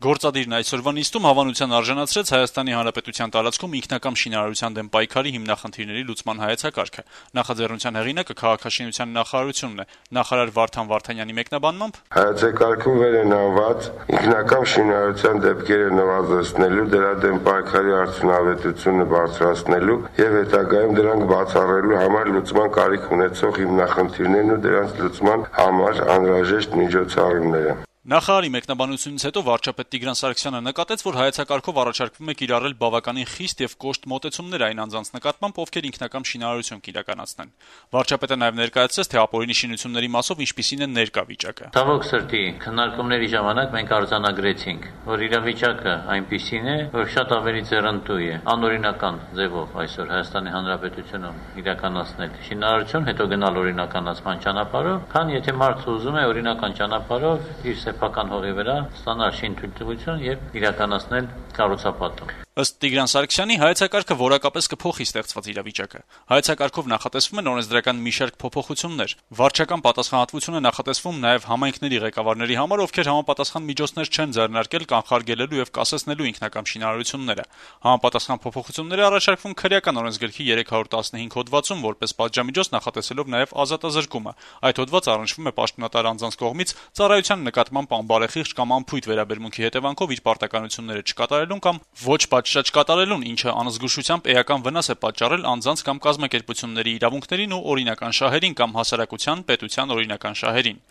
Գործադիրն այսօրվա նիստում հավանության արժանացրեց Հայաստանի Հանրապետության տարածքում ինքնակամ շինարարության դեմ պայքարի հիմնախնդիրների լուծման հայեցակարգը։ Նախաձեռնության հեղինակը քաղաքաշինության նախարարությունն է։ Նախարար Վարդան Վարդանյանի մեկնաբանմամբ հայեցակարգում վեր են անված ինքնակամ շինարարության դեպքերը նվազեցնելու, դրա դեմ պայքարի արդյունավետությունը բարձրացնելու եւ հետագայում դրանք բացառելու համար լուծման կարիք ունեցող հիմնախնդիրներն ու դրանց լուծման համար անհրաժեշտ միջոցառումները։ Նախարարի մեկնաբանությունից հետո վարչապետ Տիգրան Սարգսյանը նկատեց, որ հայեցակարգով առաջարկվում է կիրառել բավականին խիստ եւ կոշտ մոտեցումներ այն անձանց նկատմամբ, ովքեր ինքնակամ շինարարություն կիրականացնեն։ Վարչապետը նաեւ ներկայացրեց, թե ապօրինի շինությունների մասով ինչպիսին է ներկա վիճակը։ Ցավոք սրտի, քննարկումների ժամանակ մենք արձանագրեցինք, որ իրավիճակը այնպիսին է, որ շատ ավելի ձեռնտու է անօրինական ձևով այսօր Հայաստանի Հանրապետությունում իրականացնել շինարարություն, հետո գնալ օրինականացման ճանապարհով, քան եթե մարդը ուզում է օրինական ճանապարհով իր սեփական հողի վրա ստանալ շինթույլտվություն եւ իրականացնել կառուցապատում։ Ըստ Տիգրան Սարգսյանի, հայեցակարգը որակապես կփոխի ստեղծված իրավիճակը։ Հայեցակարգով նախատեսվում են օրենսդրական մի շարք փոփոխություններ։ Վարչական պատասխանատվություն է նախատեսվում նաև համայնքների ղեկավարների համար, ովքեր համապատասխան միջոցներ չեն ձեռնարկել կանխարգելելու եւ կասեցնելու ինքնակամ շինարարությունները։ Համապատասխան փոփոխությունները առաջարկվում քրեական օրենսգրքի 315 հոդվածում, որպես պատժամիջոց նախատեսելով նաև ազատազրկումը։ Այդ հոդվածը առնչվում է պաշտոնատար անձանց կողմից ծառայության նկատմամբ անբարեխիղճ կամ անփույթ վերաբերմունքի հետևանքով իր պարտականությունները չկատարելուն կամ ոչ պատշաճ կատարելուն, ինչը անզգուշությամբ էական վնաս է պատճառել անձանց կամ կազմակերպությունների իրավունքներին ու օրինական շահերին կամ հասարակության, պետության օրինական շահերին։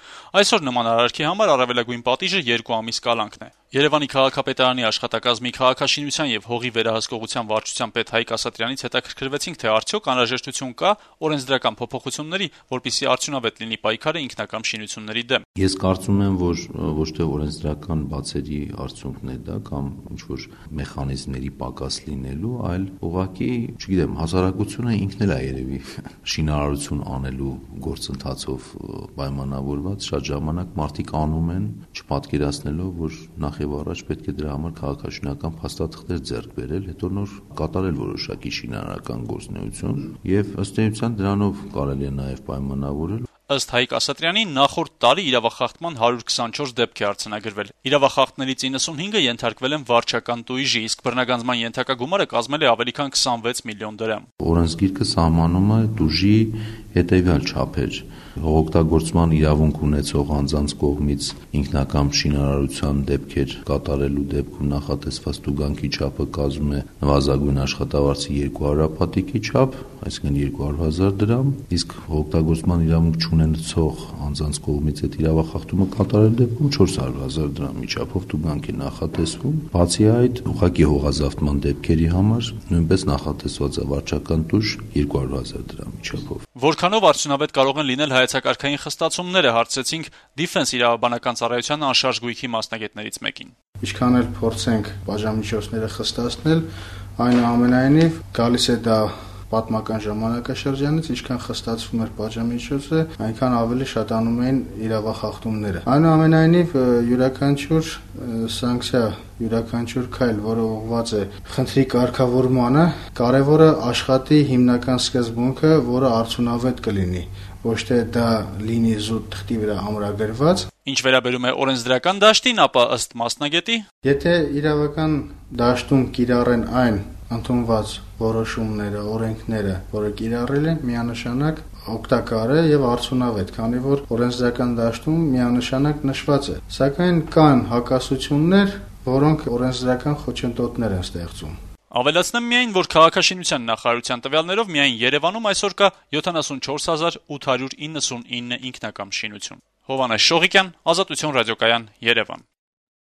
Այսօր նման արարքի համար առավելագույն պատիժը 2 ամիս կալանքն է։ Երևանի քաղաքապետարանի աշխատակազմի քաղաքաշինության եւ հողի վերահսկողության վարչության պետ Հայկ Ասատրյանից հետաքրքրվեցինք, թե արդյոք անհրաժեշտություն կա օրենսդրական փոփոխությունների, որպեսզի արդյունավետ լինի պայքարը ինքնակամ շինությունների դեմ։ Ես կարծում եմ, որ ոչ թե օրենսդրական բացերի արդյունքն է դա կամ ինչ որ մեխանիզմների պակաս լինելու, այլ ուղղակի, չգիտեմ, հասարակությունը ինքն էլ է երևի շինարարություն անելու գործընթացով պայմանավորված շատ ժամանակ մարդիկ անում են, չպատկերացնելով, որ նախ եւ առաջ պետք է դրա համար քաղաքաշինական փաստաթղթեր ձեռք բերել, հետո նոր կատարել որոշակի շինարարական գործունեություն եւ ըստ էության դրանով կարելի է նաեւ պայմանավորել։ Ըստ Հայկ Ասատրյանի, նախորդ տարի իրավախախտման 124 դեպք է արձանագրվել։ Իրավախախտներից 95-ը ենթարկվել են վարչական տույժի, իսկ բռնագանձման ենթակա գումարը կազմել է ավելի քան 26 միլիոն դրամ։ Օրենսգիրքը սահմանում է տուժի հետեւյալ չափեր. հողօգտագործման իրավունք ունեցող անձանց կողմից ինքնակամ շինարարության դեպքեր կատարելու դեպքում նախատեսված տուգանքի չափը կազմում է նվազագույն աշխատավարձի 2 հարապատիկի չափ, այսինքն 200,000 դրամ, իսկ հողօգտագործման իրավունք չունեցող անձանց կողմից այդ իրավախախտումը կատարելու դեպքում 400,000 դրամի չափով տուգանք է նախատեսվում։ Բացի այդ, ուղղակի հողազավթման դեպքերի համար նույնպես նախատեսված է վարչական տուժ 200,000 դրամի չափով։ Որքանով արդյունավետ կարող են լինել հայեցակարգային խստացումները, հարցրեցինք Դիֆենս իրավաբանական ծառայության անշարժ գույքի մասնագետներից մեկին։ Ինչքան էլ փորձենք բաժամիջոցները խստացնել, այնուամենայնիվ գալիս է դա պատմական ժամանակաշրջանից, ինչքան խստացվում էր բաժամիջոցը, այնքան ավելի շատանում էին իրավախախտումները։ Այնուամենայնիվ յուրաքանչյուր սանկցիա, յուրաքանչյուր քայլ, որը ուղղված է խնդրի կարգավորմանը, կարևորը աշխատի հիմնական սկզբունքը, որը արդյունավետ կլինի, ոչ թե դա լինի զուտ թղթի վրա ամրագրված։ Ինչ վերաբերում է օրենսդրական դաշտին, ապա ըստ մասնագետի, եթե իրավական դաշտում կիրառեն այն ընդունված որոշումները, օրենքները, որը կիրառել են, միանշանակ օգտակար է եւ արդյունավետ, քանի որ օրենսդրական դաշտում միանշանակ նշված է։ Սակայն կան հակասություններ, որոնք օրենսդրական խոչընդոտներ են ստեղծում։ Ավելացնեմ միայն, որ քաղաքաշինության նախարարության տվյալներով միայն Երևանում այսօր կա 74899 ինքնակամ շինություն։ Հովհաննես Շողիկյան, Ազատություն ռադիոկայան, Երևան։